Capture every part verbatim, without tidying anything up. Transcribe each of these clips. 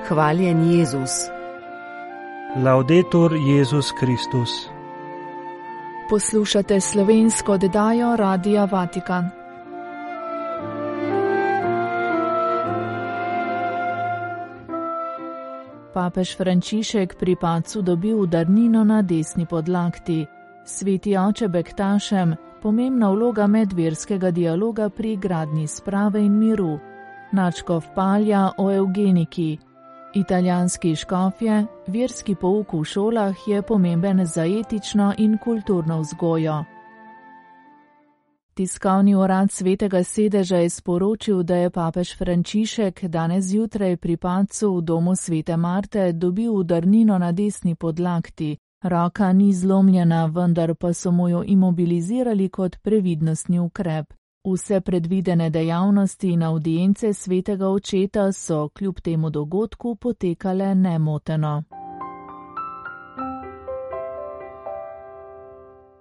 Hvaljen Jezus. Laudetur Jezus Kristus. Poslušate slovensko oddajo Radia Vatikan. Papež Frančišek pri padcu dobil udarnino na desni podlakti. Sveti oče Bektašem, pomembna vloga medverskega dialoga pri gradnji sprave in miru. Nadškof Palja o evgeniki. Italijanski škofje, verski pouk v šolah je pomemben za etično in kulturno vzgojo. Tiskovni urad Svetega sedeža je sporočil, da je papež Frančišek danes zjutraj pri padcu v domu Svete Marte dobil udarnino na desni podlakti. Roka ni zlomljena, vendar pa so mu jo imobilizirali kot previdnostni ukrep. Vse predvidene dejavnosti in avdience Svetega očeta so kljub temu dogodku potekale nemoteno.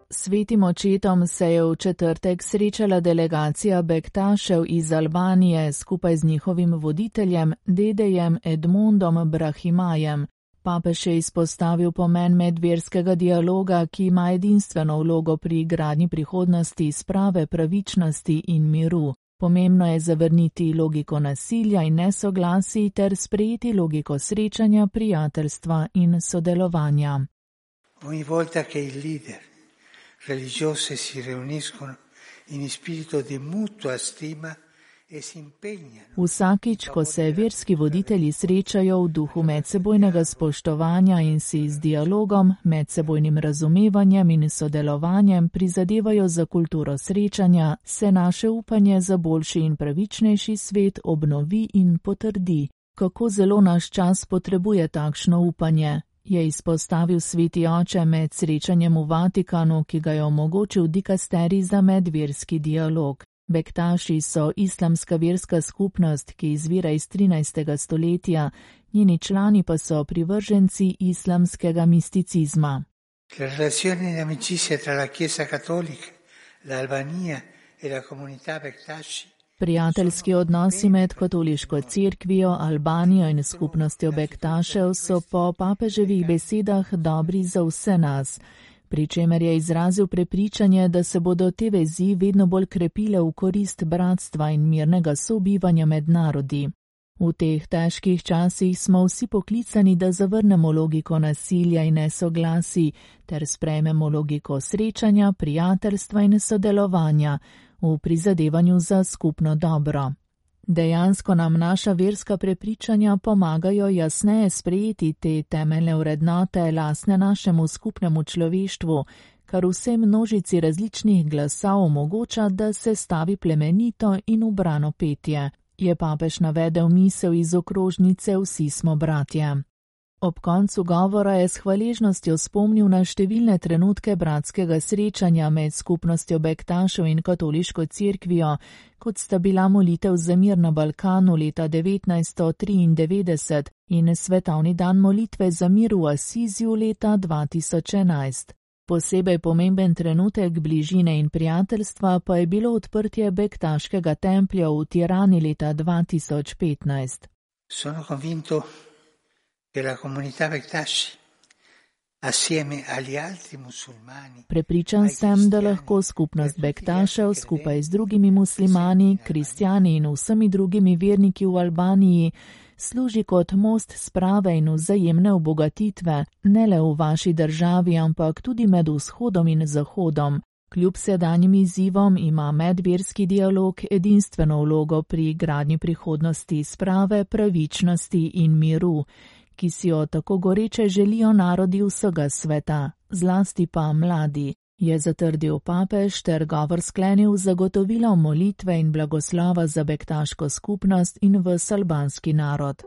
Svetim očetom se je v četrtek srečala delegacija Bektašev iz Albanije skupaj z njihovim voditeljem, dedejem Edmondom Brahimajem. Papež je izpostavil pomen medverskega dialoga, ki ima edinstveno vlogo pri gradnji prihodnosti, sprave, pravičnosti in miru. Pomembno je zavrniti logiko nasilja in nesoglasij ter sprejeti logiko srečanja, prijateljstva in sodelovanja. Ogni volta che i leader religiosi si riuniscono in spirito di mutua stima, Vsakič, ko se verski voditelji srečajo v duhu medsebojnega spoštovanja in si z dialogom, medsebojnim razumevanjem in sodelovanjem prizadevajo za kulturo srečanja, se naše upanje za boljši in pravičnejši svet obnovi in potrdi. Kako zelo naš čas potrebuje takšno upanje, je izpostavil sveti oče med srečanjem v Vatikanu, ki ga je omogočil dikasterij za medverski dialog. Bektaši so islamska verska skupnost, ki izvira iz trinajstega stoletja, njeni člani pa so privrženci islamskega misticizma. Le relazioni di amicizia tra la Chiesa Cattolica, l'Albania e la comunità Bektaši. Prijateljski odnosi med katoliško cerkvijo, Albanijo in skupnostjo Bektašev so po papeževih besedah dobri za vse nas, pri čemer je izrazil prepričanje, da se bodo te vezi vedno bolj krepile v korist bratstva in mirnega sobivanja med narodi. V teh težkih časih smo vsi poklicani, da zavrnemo logiko nasilja in nesoglasij ter sprejmemo logiko srečanja, prijateljstva in sodelovanja v prizadevanju za skupno dobro. Dejansko nam naša verska prepričanja pomagajo jasneje sprejeti te temeljne vrednote lastne našemu skupnemu človeštvu, kar vsej množici različnih glasov omogoča, da se stavi plemenito in ubrano petje, je papež navedel misel iz okrožnice Vsi smo bratje. Ob koncu govora je s hvaležnostjo spomnil na številne trenutke bratskega srečanja med skupnostjo Bektašev in katoliško cerkvijo, kot sta bila molitev za mir na Balkanu leta devetnajststo triindevetdeset in svetovni dan molitve za mir v Asiziju leta dva tisoč enajst. Posebej pomemben trenutek bližine in prijateljstva pa je bilo odprtje Bektaškega templja v Tirani leta dva tisoč petnajst. Sono convinto che la comunità Bektaši assieme agli altri musulmani. Prepričan sem, da lahko skupnost Bektašev skupaj z drugimi muslimani, kristjani in vsemi drugimi verniki v Albaniji služi kot most sprave in vzajemne obogatitve, ne le v vaši državi, ampak tudi med vzhodom in zahodom. Kljub sedanjim izzivom ima medverski dialog edinstveno vlogo pri gradnji prihodnosti sprave, pravičnosti in miru, ki si jo tako goreče želijo narodi vsega sveta, zlasti pa mladi, je zatrdil papež ter govor sklenil zagotovilo molitve in blagoslova za bektaško skupnost in ves albanski narod.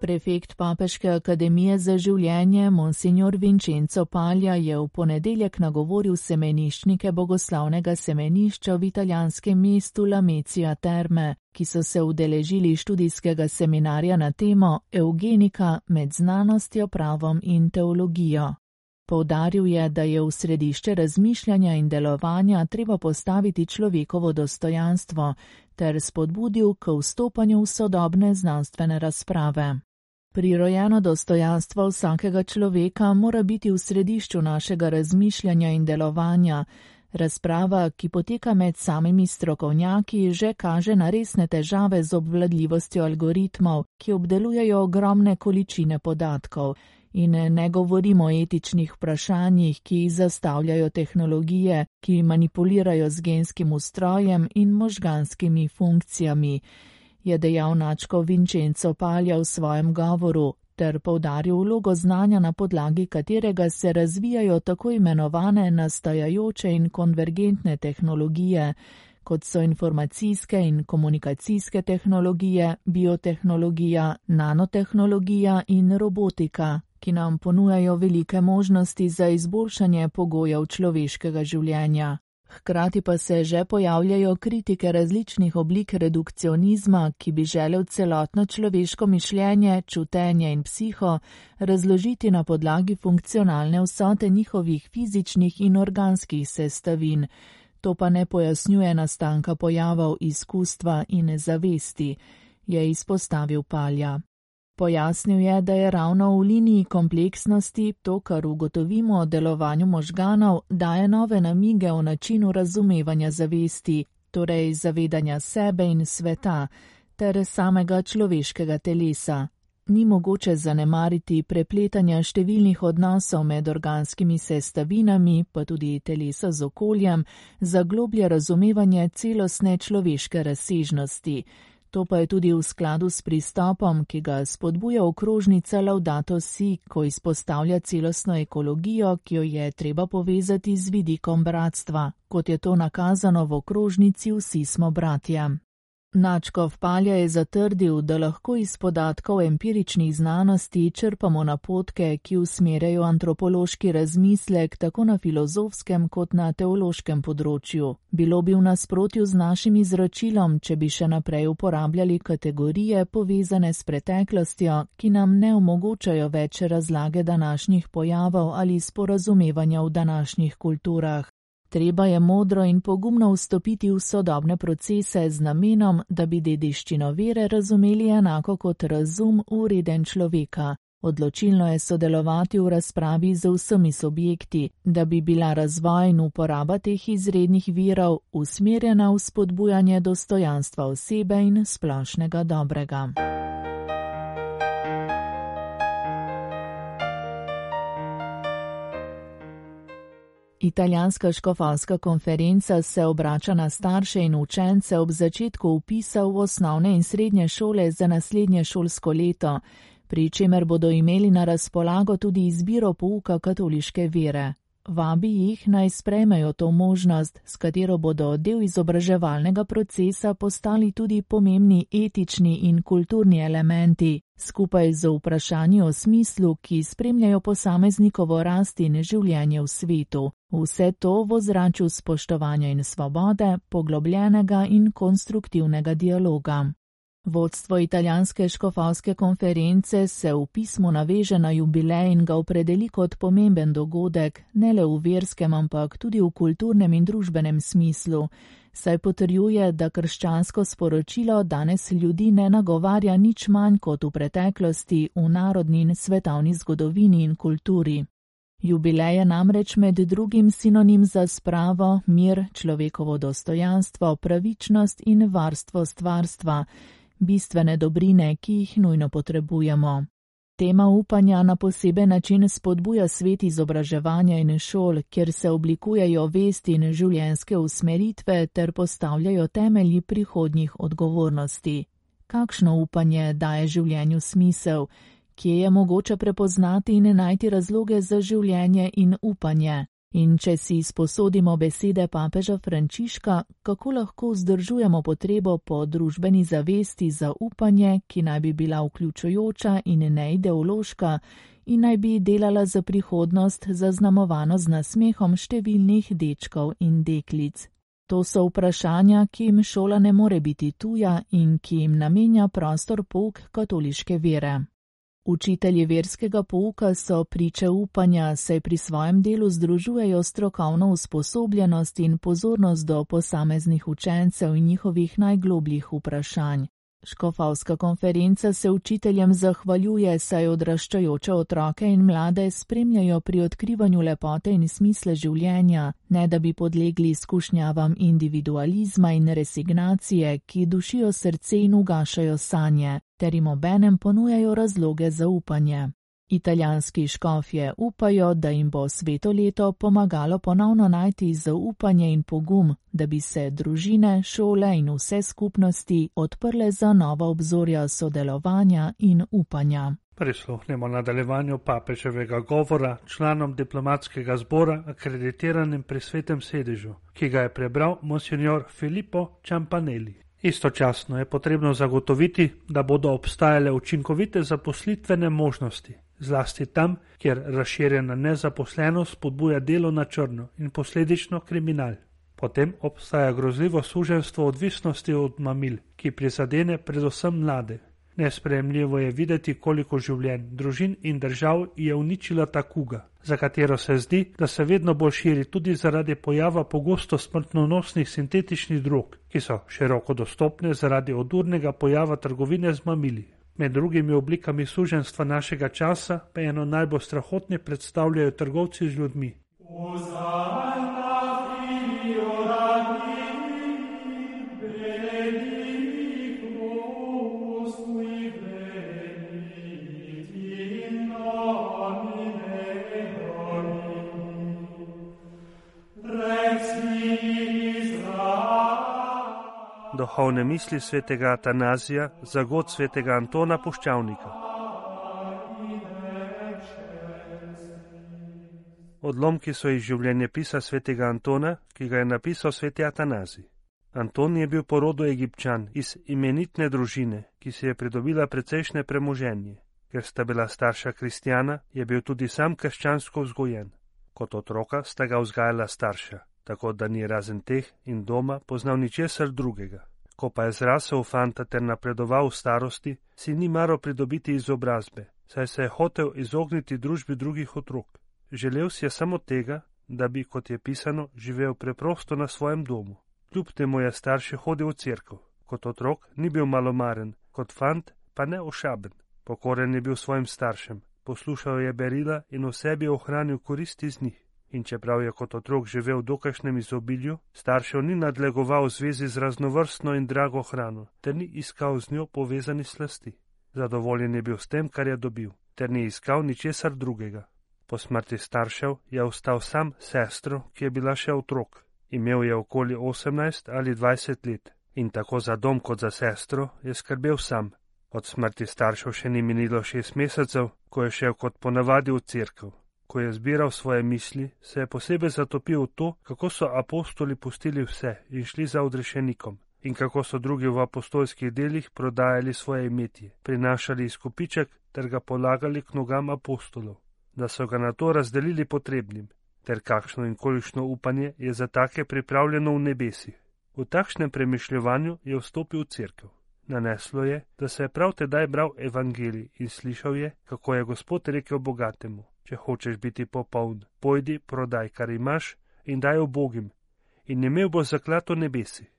Prefekt Papeške akademije za življenje, monsignor Vincenzo Palja, je v ponedeljek nagovoril semeniščnike bogoslavnega semenišča v italijanskem mestu Lamezia Terme, ki so se udeležili študijskega seminarja na temo Evgenika med znanostjo, pravom in teologijo. Poudaril je, da je v središče razmišljanja in delovanja treba postaviti človekovo dostojanstvo ter spodbudil k vstopanju v sodobne znanstvene razprave. Prirojeno dostojanstvo vsakega človeka mora biti v središču našega razmišljanja in delovanja. Razprava, ki poteka med samimi strokovnjaki, že kaže na resne težave z obvladljivostjo algoritmov, ki obdelujejo ogromne količine podatkov. In ne govorimo o etičnih vprašanjih, ki jih zastavljajo tehnologije, ki manipulirajo z genskim ustrojem in možganskimi funkcijami, je dejal Načko Vincenzo Palja v svojem govoru, ter poudaril vlogo znanja, na podlagi katerega se razvijajo tako imenovane nastajajoče in konvergentne tehnologije, kot so informacijske in komunikacijske tehnologije, biotehnologija, nanotehnologija in robotika, ki nam ponujajo velike možnosti za izboljšanje pogojev človeškega življenja. Hkrati pa se že pojavljajo kritike različnih oblik redukcionizma, ki bi želel celotno človeško mišljenje, čutenje in psiho razložiti na podlagi funkcionalne vsote njihovih fizičnih in organskih sestavin. To pa ne pojasnjuje nastanka pojavov izkustva in zavesti, je izpostavil Palja. Pojasnil je, da je ravno v liniji kompleksnosti to, kar ugotovimo o delovanju možganov, daje nove namige o načinu razumevanja zavesti, torej zavedanja sebe in sveta, ter samega človeškega telesa. Ni mogoče zanemariti prepletanja številnih odnosov med organskimi sestavinami, pa tudi telesa z okoljem, za globlje razumevanje celostne človeške razsežnosti. To pa je tudi v skladu s pristopom, ki ga spodbuja okrožnica Laudato Si, ko izpostavlja celostno ekologijo, ki jo je treba povezati z vidikom bratstva, kot je to nakazano v okrožnici Vsi smo bratje. Načkov Palja je zatrdil, da lahko iz podatkov empiričnih znanosti črpamo napotke, ki usmerjajo antropološki razmislek tako na filozofskem kot na teološkem področju. Bilo bi v nasprotju z našim izročilom, če bi še naprej uporabljali kategorije povezane s preteklostjo, ki nam ne omogočajo več razlage današnjih pojavov ali sporazumevanja v današnjih kulturah. Treba je modro in pogumno vstopiti v sodobne procese z namenom, da bi dediščino vere razumeli enako kot razum ureden človeka. Odločilno je sodelovati v razpravi z vsemi subjekti, da bi bila razvoj in uporaba teh izrednih virov usmerjena v spodbujanje dostojanstva osebe in splošnega dobrega. Italijanska škofovska konferenca se obrača na starše in učence ob začetku vpisa v osnovne in srednje šole za naslednje šolsko leto, pri čemer bodo imeli na razpolago tudi izbiro pouka katoliške vere. Vabi jih naj sprejmejo to možnost, s katero bodo del izobraževalnega procesa postali tudi pomembni etični in kulturni elementi, skupaj z vprašanji o smislu, ki spremljajo posameznikovo rast in življenje v svetu. Vse to v ozračju spoštovanja in svobode, poglobljenega in konstruktivnega dialoga. Vodstvo italijanske škofovske konference se v pismu naveže na jubilej in ga opredeli kot pomemben dogodek, ne le v verskem, ampak tudi v kulturnem in družbenem smislu, saj potrjuje, da krščansko sporočilo danes ljudi ne nagovarja nič manj kot v preteklosti v narodni in svetovni zgodovini in kulturi. Jubilej je namreč med drugim sinonim za spravo, mir, človekovo dostojanstvo, pravičnost in varstvo stvarstva, bistvene dobrine, ki jih nujno potrebujemo. Tema upanja na poseben način spodbuja svet izobraževanja in šol, kjer se oblikujejo vesti in življenjske usmeritve ter postavljajo temelji prihodnjih odgovornosti. Kakšno upanje daje življenju smisel? Kje je mogoče prepoznati in najti razloge za življenje in upanje? In če si izposodimo besede papeža Frančiška, kako lahko vzdržujemo potrebo po družbeni zavesti za upanje, ki naj bi bila vključujoča in neideološka in naj bi delala za prihodnost zaznamovano z nasmehom številnih dečkov in deklic. To so vprašanja, ki jim šola ne more biti tuja in ki jim namenja prostor pouk katoliške vere. Učitelji verskega pouka so priče upanja, saj pri svojem delu združujejo strokovno usposobljenost in pozornost do posameznih učencev in njihovih najglobljih vprašanj. Škofovska konferenca se učiteljem zahvaljuje, saj odraščajoče otroke in mlade spremljajo pri odkrivanju lepote in smisla življenja, ne da bi podlegli izkušnjavam individualizma in resignacije, ki dušijo srce in ugašajo sanje, ter jim obenem ponujajo razloge za upanje. Italijanski škofje upajo, da jim bo sveto leto pomagalo ponovno najti zaupanje in pogum, da bi se družine, šole in vse skupnosti odprle za nova obzorja sodelovanja in upanja. Prisluhnemo nadaljevanju papeževega govora članom diplomatskega zbora akreditiranim pri Svetem sedežu, ki ga je prebral monsignor Filippo Ciampanelli. Istočasno je potrebno zagotoviti, da bodo obstajale učinkovite zaposlitvene možnosti, zlasti tam, kjer razširjena nezaposlenost spodbuja delo na črno in posledično kriminal. Potem obstaja grozljivo suženjstvo odvisnosti od mamil, ki prizadene predvsem mlade. Nesprejemljivo je videti, koliko življenj, družin in držav je uničila ta kuga, za katero se zdi, da se vedno bolj širi tudi zaradi pojava pogosto smrtonosnih sintetičnih drog, ki so široko dostopne zaradi odurnega pojava trgovine z mamili. Med drugimi oblikami suženjstva našega časa pa eno najbolj strahotne predstavljajo trgovci z ljudmi. Duhovne misli svetega Atanazija za god svetega Antona Puščavnika. Odlomki so iz življenjepisa svetega Antona, ki ga je napisal sveti Atanazij. Anton je bil po rodu Egipčan iz imenitne družine, ki si je pridobila precejšnje premoženje. Ker sta bila starša kristjana, je bil tudi sam krščansko vzgojen. Kot otroka sta ga vzgajala starša, tako da ni razen teh in doma poznal ničesar drugega. Ko pa je zrasel v fanta ter napredoval v starosti, si ni maral pridobiti izobrazbe, saj se je hotel izogniti družbi drugih otrok. Želel si je samo tega, da bi, kot je pisano, živel preprosto na svojem domu. Kljub temu je starši hodil v cerkev. Kot otrok ni bil malomaren, kot fant pa ne ošaben. Pokoren je bil svojim staršem, poslušal je berila in v sebi ohranil koristi z njih. In čeprav je kot otrok živel v dokajšnjem izobilju, staršev ni nadlegoval v zvezi z raznovrstno in drago hrano, ter ni iskal z njo povezani slasti. Zadovoljen je bil s tem, kar je dobil, ter ni iskal ničesar drugega. Po smrti staršev je ostal sam sestro, ki je bila še otrok. Imel je okoli osemnajst ali dvajset let in tako za dom kot za sestro je skrbel sam. Od smrti staršev še ni minilo šest mesecev, ko je šel kot ponavadi v cerkev. Ko je zbiral svoje misli, se je posebej zatopil v to, kako so apostoli pustili vse in šli za odrešenikom in kako so drugi v apostolskih delih prodajali svoje imetje, prinašali izkupiček ter ga polagali k nogam apostolov, da so ga na to razdelili potrebnim, ter kakšno in kolikšno upanje je za take pripravljeno v nebesih. V takšnem premišljevanju je vstopil v cerkev. Naneslo je, da se je prav tedaj bral evangelij in slišal je, kako je Gospod rekel bogatemu: če hočeš biti popoln, pojdi, prodaj, kar imaš, in daj ubogim, in imel bo zaklad v nebesih.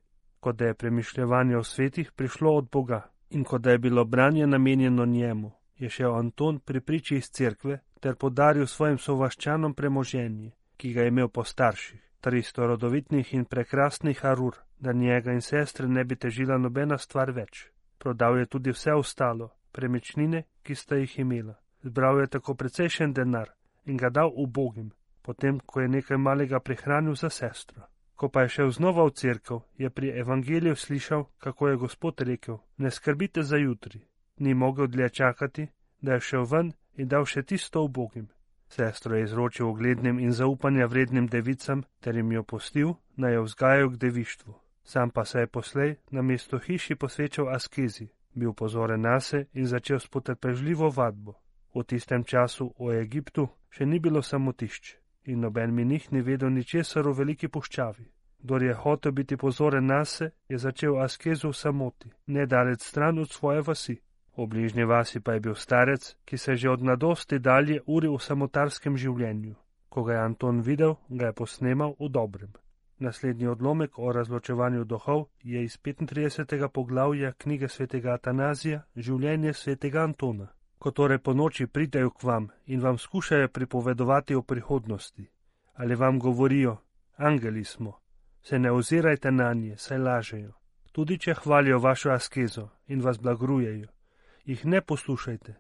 Kot da je premišljevanje o svetih prišlo od Boga in kot da je bilo branje namenjeno njemu, je šel Anton pri priči iz cerkve ter podaril svojim sovaščanom premoženje, ki ga je imel po starših, tristo rodovitnih in prekrasnih arur, da njega in sestre ne bi težila nobena stvar več. Prodal je tudi vse ostalo, premičnine, ki sta jih imela. Zbral je tako precejšen denar in ga dal ubogim, potem, ko je nekaj malega prihranil za sestro. Ko pa je šel znova v cerkev, je pri evangeliju slišal, kako je Gospod rekel: ne skrbite za jutri. Ni mogel dlje čakati, da je šel ven in dal še tisto ubogim. Sestro je izročil uglednim in zaupanja vrednim devicam, ter jim jo pustil, naj jo vzgajajo k devištvu. Sam pa se je poslej na mesto hiši posvečal askezi, bil pozoren nase in začel s potrpežljivo vadbo. V tistem času v Egiptu še ni bilo samotišč in noben menih ni vedel ničesar v veliki puščavi. Kdor je hotel biti pozoren nase, je začel askezo v samoti, nedalec stran od svoje vasi. V bližnji vasi pa je bil starec, ki se že od mladosti dalje uri v samotarskem življenju. Ko ga je Anton videl, ga je posnemal v dobrem. Naslednji odlomek o razločevanju duhov je iz petintridesetega poglavja knjige svetega Atanazija Življenje svetega Antona. Ko torej po noči pridejo k vam in vam skušajo pripovedovati o prihodnosti, ali vam govorijo, angeli smo, se ne ozirajte na nje, saj lažejo. Tudi če hvalijo vašo askezo in vas blagrujejo, jih ne poslušajte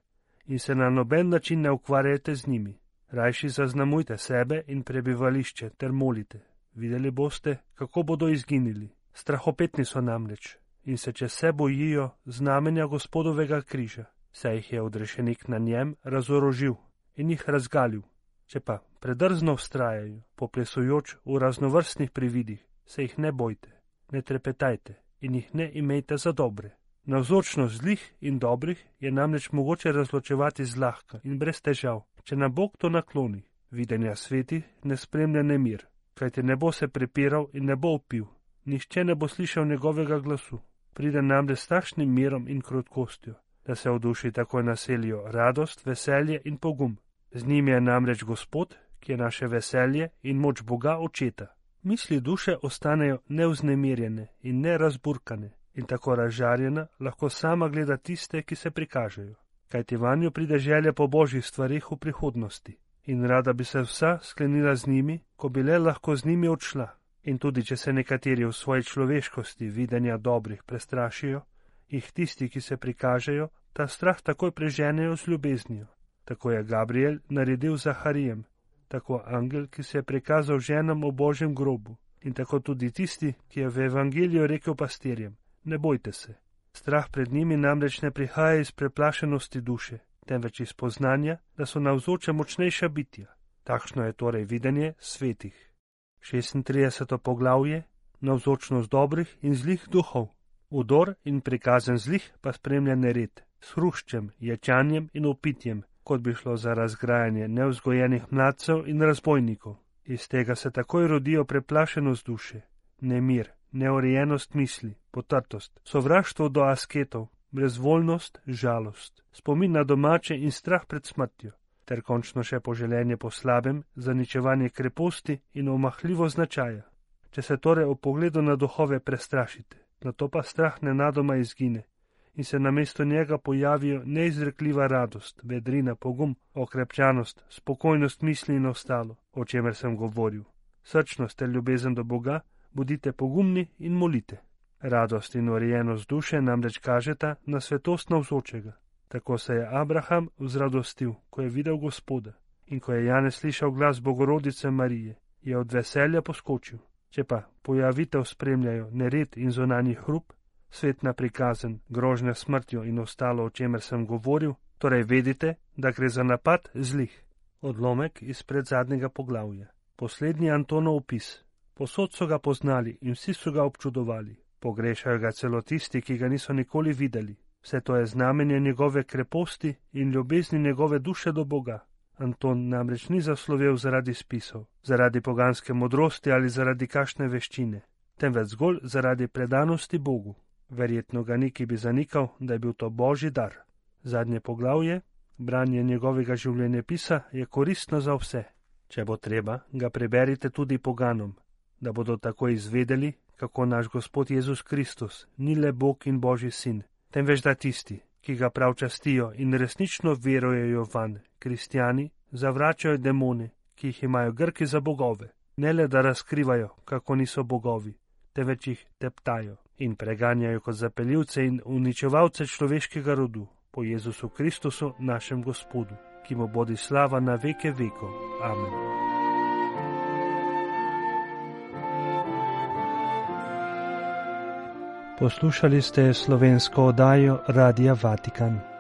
in se na noben način ne ukvarjajte z njimi. Rajši zaznamujte sebe in prebivališče ter molite. Videli boste, kako bodo izginili. Strahopetni so namreč in se čez se bojijo znamenja Gospodovega križa, saj jih je odrešenik na njem razorožil in jih razgalil. Če pa predrzno vztrajajo, poplesujoč v raznovrstnih prividih, se jih ne bojte, ne trepetajte in jih ne imejte za dobre. Navzočnost zlih in dobrih je namreč mogoče razločevati zlahka in brez težav, če na Bog to nakloni. Videnja svetih ne spremlja nemir, kajti ne bo se prepiral in ne bo opil, nihče ne bo slišal njegovega glasu. Pride namreč s takšnim mirom in krotkostjo, da se v duši takoj naselijo radost, veselje in pogum. Z njim je namreč Gospod, ki je naše veselje in moč Boga Očeta. Misli duše ostanejo neuznemirjene in nerazburkane in tako razžarjena lahko sama gleda tiste, ki se prikažejo, kajti vanjo pride želja po božjih stvarih v prihodnosti in rada bi se vsa sklenila z njimi, ko bi le lahko z njimi odšla. In tudi, če se nekateri v svoji človeškosti videnja dobrih prestrašijo, jih tisti, ki se prikažejo, ta strah takoj preženejo z ljubeznijo. Tako je Gabriel naredil z Zaharijem, tako angel, ki se je prikazal ženam v božjem grobu, in tako tudi tisti, ki je v evangeliju rekel pastirjem, ne bojte se. Strah pred njimi namreč ne prihaja iz preplašenosti duše, temveč iz poznanja, da so navzoča močnejša bitja. Takšno je torej videnje svetih. šestintrideseto poglavje, navzočnost dobrih in zlih duhov. Udor in prikazen zlih pa spremlja nered, s hruščem, ječanjem in opitjem, kot bi šlo za razgrajanje nevzgojenih mladcev in razbojnikov. Iz tega se takoj rodijo preplašenost duše, nemir, neurejenost misli, potrtost, sovraštvo do asketov, brezvoljnost, žalost, spomin na domače in strah pred smrtjo, ter končno še poželenje po slabem, zaničevanje kreposti in omahljivo značaja. Če se torej o pogledu na duhove prestrašite, nato pa strah nenadoma izgine in se namesto njega pojavijo neizrekljiva radost, vedrina, pogum, okrepčanost, spokojnost misli in ostalo, o čemer sem govoril. Srčnost ter ljubezen do Boga, bodite pogumni in molite. Radost in urejenost duše namreč kažeta na svetost navzočega. Tako se je Abraham vzradostil, ko je videl Gospoda, in ko je Janez slišal glas Bogorodice Marije, je od veselja poskočil. Če pa pojavitev spremljajo nered in zunanji hrup, svetna prikazen, grožnja smrtjo in ostalo, o čemer sem govoril, torej vedite, da gre za napad zlih. Odlomek iz predzadnjega poglavja. Poslednji Antonov opis. Posod so ga poznali in vsi so ga občudovali. Pogrešajo ga celo tisti, ki ga niso nikoli videli. Vse to je znamenje njegove kreposti in ljubezni njegove duše do Boga. Anton namreč ni zaslovel zaradi spisov, zaradi poganske modrosti ali zaradi kakšne veščine, temveč zgolj zaradi predanosti Bogu. Verjetno ga niki bi zanikal, da je bil to božji dar. Zadnje poglavje, branje njegovega življenjepisa, je koristno za vse. Če bo treba, ga preberite tudi poganom, da bodo tako izvedeli, kako naš Gospod Jezus Kristus ni le Bog in Božji sin, temveč da tisti, ki ga prav častijo in resnično verujejo vanj, kristjani, zavračajo demone, ki jih imajo Grki za bogove, ne le da razkrivajo, kako niso bogovi, temveč jih teptajo in preganjajo kot zapeljivce in uničevalce človeškega rodu, po Jezusu Kristusu, našem Gospodu, ki mu bodi slava na veke vekov. Amen. Poslušali ste slovensko oddajo Radia Vatikan.